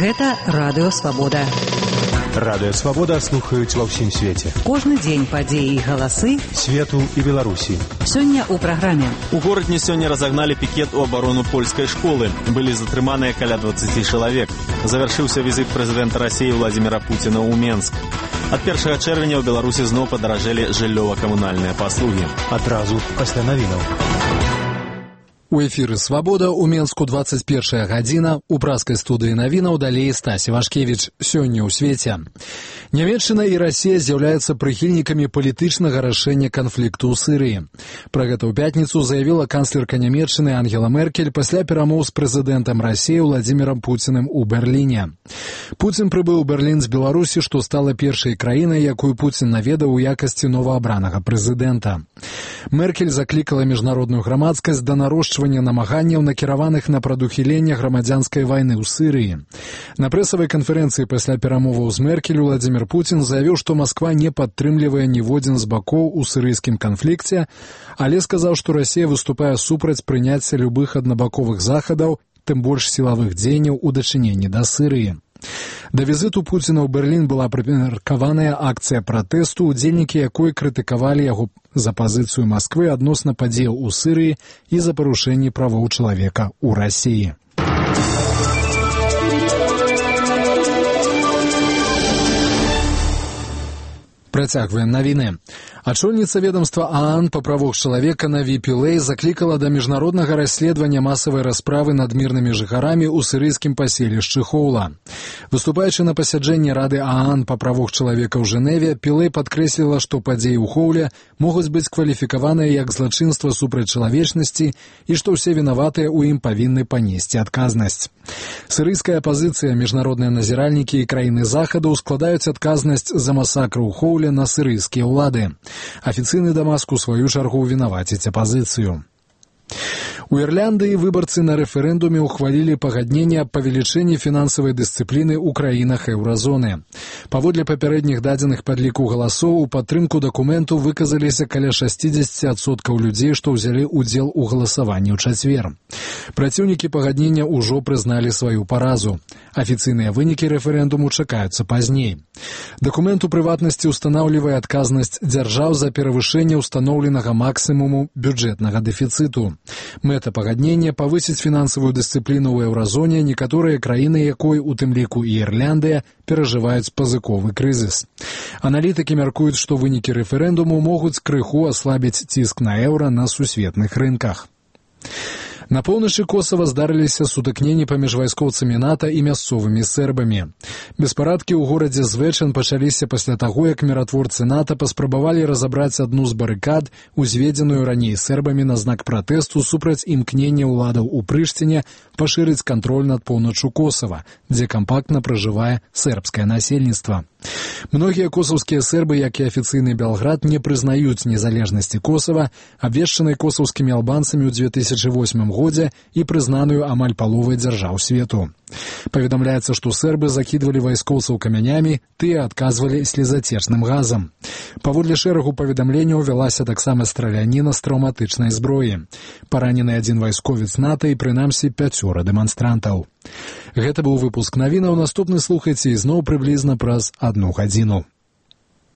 Гэта Радыё Свабода. Радыё Свабода слухаюць ва ўсім свеце. Кожны дзень падзеі і галасы свету і Беларусі. Сёння ў праграме. У горадні сёння разагналі пікет у абарону польскай школы. Былі затрыманыя каля 20 чалавек. Завяршыўся візіт прэзідэнта Расіі Владзіміра Пуціна ў Менск. Ад 1 чэрвеня ў Беларусі зноў падаражэлі жыллёва-камунальныя паслугі. Адразу пасля навінаў. У эфіры «Свабода» у Менску 21 гадзіна. У праскай студыі навінаў далей Стасі Вашкевіч. Сёння ў свеце. Нямецчына і Расія з'яўляюцца прыхільнікамі палітычнага рашэння канфлікту ў Сірыі. Пра гэта ў пятніцу заявіла канцлерка Нямецчыны Ангела Меркель пасля перамоў з прэзідэнтам Расіі Владзімірам Пуціным у Берліне. Пуцін прыбыў у Берлін з Беларусі, што стала першай краінай, якую Пуцін наведаў у якасці новаабранага прэзідэнта. Меркель заклікала міжнародную грамадскасць да нарошчвання намаганняў, накіраваных на прадухіленне грамадзянскай вайны ў Сірыі. На прэсавай канферэнцыі пасля перамоваў з Меркель Владзімір Пуцін заявіў, што Масква не падтрымлівае ніводзін з бакоў у сірыйскім канфлікце, але сказаў, што Расія выступае супраць прыняцця любых аднабаковых захадаў, тым больш сілавых дзеянняў у дачыненні да Сірыі. Да візіту Пуціна ў Берлін была прымеркаваная акцыя пратэсту, удзельнікі якой крытыкавалі яго за пазіцыю Масквы адносна падзеяў у Сірыі і за парушэнні правоў чалавека ў Расіі. Працягваем навіны. Ачольніца ведомства ААН па правах чалавека Наві Пілэй заклікала да міжнароднага расследавання масавай расправы над мірнымі жыхарамі ў сірыйскім паселішчы Хоула. Выступаючы на пасяджэнні Рады ААН па правах чалавека ў Жэневе, Пілэй падкрэсліла, што падзеі ў Хоуле могуць быць кваліфікаваныя як злачынства супраць чалавечнасці і што ўсе вінаватыя ў ім павінны панесці адказнасць. Сірыйская апазіцыя, міжнародныя назіральнікі і краіны захаду складаюць адказнасць за масакр у Хоуле на сірыйскія ўлады. Афіцыйны Дамаск у сваю чаргу вінаваціць апазіцыю. У Ірландыі выбарцы на рэферэндуме ухвалілі пагадненне аб павелічэнні фінансавай дысцыпліны ў краінах еўразоны. Паводле папярэдніх дадзеных падліку галасоў у падтрымку дакументу выказаліся каля 60% людзей, што ўзялі ўдзел у галасаванні ў чацвер. Праціўнікі пагаднення ўжо прызналі сваю паразу. Афіцыйныя вынікі рэферэндуму чакаюцца пазней. Дакумент у прыватнасці ўстанаўлівае адказнасць дзяржаў за перавышэнне ўстаноўленага максімуму бюджэтнага дэфіцыту. Мэта пагаднення павысіць фінансавую дысцыпліну ў еўразоне, некаторыя краіны якой, у тым ліку і Ірландыя, перажываюць пазыковы крызіс. Аналітыкі мяркуюць, што вынікі рэферэндуму могуць крыху аслабіць ціск на еўра на сусветных рынках. На поўначы Косава здарыліся сутыкненні паміж вайскоўцамі НАТО і мясцовымі сербамі. Беспарадкі ў горадзе Звечан пачаліся пасля таго, як міратворцы НАТО паспрабавалі разабраць адну з барыкад, узведзеную раней сербамі на знак пратэсту супраць імкнення ўладаў у Прыштіне пашырыць кантроль над поўначчу Косава, дзе кампактна пражывае сербскае насельніцтва. Многія косаўскія сербы, як і афіцыйны Белград, не прызнаюць незалежнасці Косава, абвешчанай косаўскімі албанцамі ў 2008 годзе і прызнаную амаль паловай дзяржаў свету. Паведамляецца, што сербы закідвалі вайскоўцаў камянямі, тыя адказвалі слезацечным газам. Паводле шэрагу паведамленняў вялася таксама страляніна з траўматычнай зброі. Паранены адзін вайсковец НАТО і прынамсі 5 дэманстрантаў. Гэта быў выпуск навінаў. Наступны слухайце ізноў прыблізна праз 1 гадзіну.